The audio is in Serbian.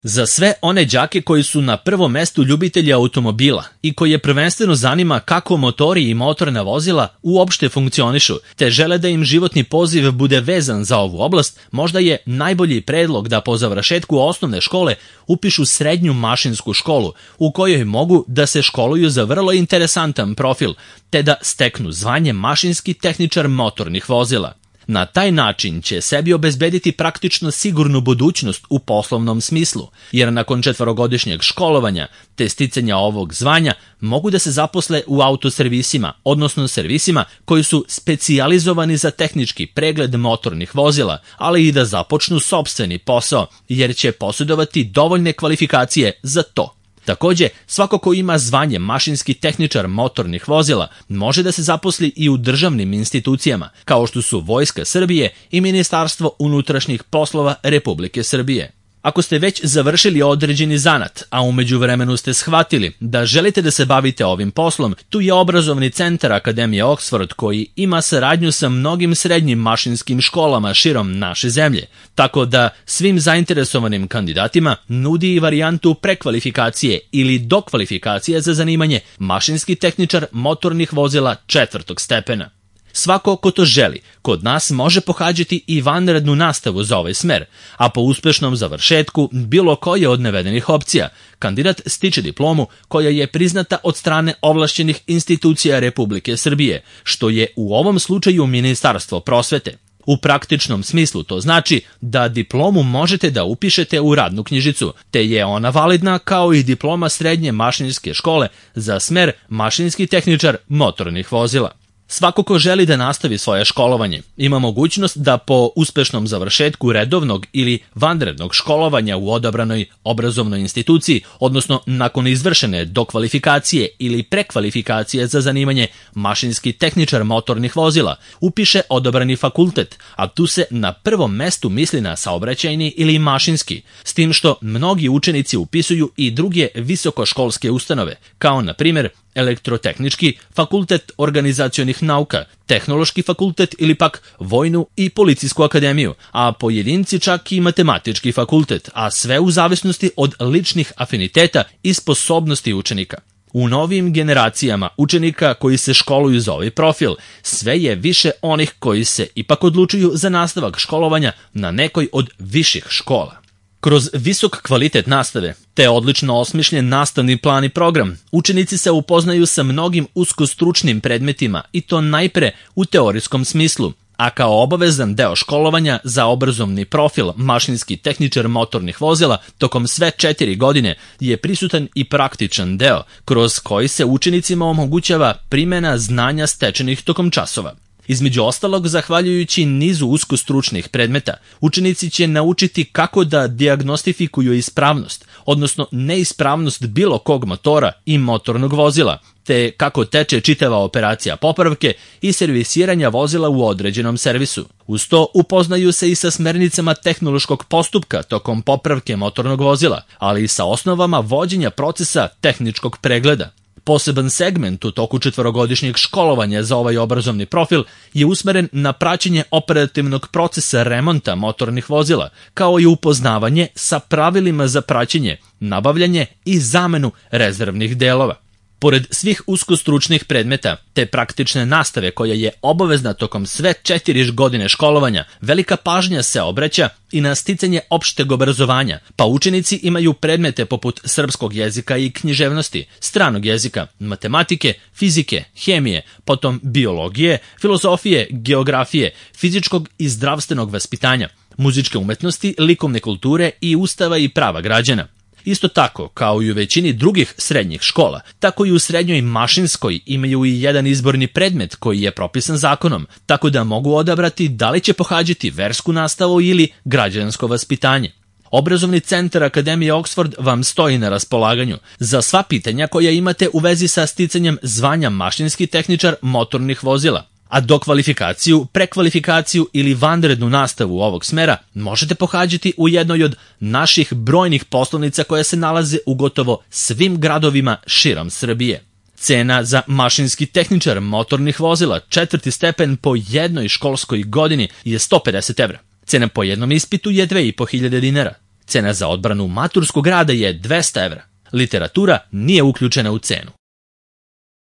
Za sve one đake koji su na prvom mestu ljubitelji automobila i koje prvenstveno zanima kako motori i motorna vozila uopšte funkcionišu, te žele da im životni poziv bude vezan za ovu oblast, možda je najbolji predlog da po završetku osnovne škole upišu srednju mašinsku školu, u kojoj mogu da se školuju za vrlo interesantan profil, te da steknu zvanje mašinski tehničar motornih vozila. Na taj način će sebi obezbediti praktično sigurnu budućnost u poslovnom smislu, jer nakon 4-godišnjeg školovanja te sticanja ovog zvanja mogu da se zaposle u autoservisima, odnosno servisima koji su specijalizovani za tehnički pregled motornih vozila, ali i da započnu sopstveni posao, jer će posjedovati dovoljne kvalifikacije za to. Takođe, svako ko ima zvanje mašinski tehničar motornih vozila može da se zaposli i u državnim institucijama, kao što su Vojska Srbije i Ministarstvo unutrašnjih poslova Republike Srbije. Ako ste već završili određeni zanat, a u međuvremenu ste shvatili da želite da se bavite ovim poslom, tu je obrazovni centar Akademije Oxford koji ima saradnju sa mnogim srednjim mašinskim školama širom naše zemlje, tako da svim zainteresovanim kandidatima nudi i varijantu prekvalifikacije ili dokvalifikacije za zanimanje mašinski tehničar motornih vozila 4. stepena. Svako ko to želi, kod nas može pohađati i vanrednu nastavu za ovaj smer, a po uspešnom završetku bilo koje od navedenih opcija, kandidat stiče diplomu koja je priznata od strane ovlašćenih institucija Republike Srbije, što je u ovom slučaju Ministarstvo prosvete. U praktičnom smislu to znači da diplomu možete da upišete u radnu knjižicu, te je ona validna kao i diploma srednje mašinske škole za smer mašinski tehničar motornih vozila. Svako ko želi da nastavi svoje školovanje ima mogućnost da po uspešnom završetku redovnog ili vanrednog školovanja u odabranoj obrazovnoj instituciji, odnosno nakon izvršene dokvalifikacije ili prekvalifikacije za zanimanje mašinski tehničar motornih vozila, upiše odabrani fakultet, a tu se na prvom mestu misli na saobraćajni ili mašinski, s tim što mnogi učenici upisuju i druge visokoškolske ustanove, kao na primjer Elektrotehnički fakultet organizacionih nauka, Tehnološki fakultet ili pak Vojnu i Policijsku akademiju, a pojedinci čak i Matematički fakultet, a sve u zavisnosti od ličnih afiniteta i sposobnosti učenika. U novim generacijama učenika koji se školuju za ovaj profil, sve je više onih koji se ipak odlučuju za nastavak školovanja na nekoj od viših škola. Kroz visok kvalitet nastave, te odlično osmišljen nastavni plan i program, učenici se upoznaju sa mnogim uskostručnim predmetima i to najpre u teorijskom smislu, a kao obavezan deo školovanja za obrazovni profil mašinski tehničar motornih vozila tokom sve 4 godine je prisutan i praktičan deo, kroz koji se učenicima omogućava primena znanja stečenih tokom časova. Između ostalog, zahvaljujući nizu uskostručnih predmeta, učenici će naučiti kako da dijagnostifikuju ispravnost, odnosno neispravnost bilo kog motora i motornog vozila, te kako teče čitava operacija popravke i servisiranja vozila u određenom servisu. Uz to upoznaju se i sa smernicama tehnološkog postupka tokom popravke motornog vozila, ali i sa osnovama vođenja procesa tehničkog pregleda. Poseban segment u toku 4-godišnjeg školovanja za ovaj obrazovni profil je usmeren na praćenje operativnog procesa remonta motornih vozila, kao i upoznavanje sa pravilima za praćenje, nabavljanje i zamenu rezervnih delova. Pored svih uskostručnih predmeta te praktične nastave koja je obavezna tokom sve 4 godine školovanja, velika pažnja se obraća i na sticanje opšteg obrazovanja, pa učenici imaju predmete poput srpskog jezika i književnosti, stranog jezika, matematike, fizike, hemije, potom biologije, filozofije, geografije, fizičkog i zdravstvenog vaspitanja, muzičke umetnosti, likovne kulture i ustava i prava građana. Isto tako, kao i u većini drugih srednjih škola, tako i u srednjoj mašinskoj imaju i jedan izborni predmet koji je propisan zakonom, tako da mogu odabrati da li će pohađati versku nastavu ili građansko vaspitanje. Obrazovni centar Akademije Oxford vam stoji na raspolaganju za sva pitanja koja imate u vezi sa sticanjem zvanja mašinski tehničar motornih vozila. A dokvalifikaciju, prekvalifikaciju ili vanrednu nastavu ovog smera možete pohađati u jednoj od naših brojnih poslovnica koje se nalaze u gotovo svim gradovima širom Srbije. Cena za mašinski tehničar motornih vozila 4. stepen po jednoj školskoj godini je 150 evra. Cena po jednom ispitu je 2500 dinara. Cena za odbranu maturskog rada je 200 evra. Literatura nije uključena u cenu.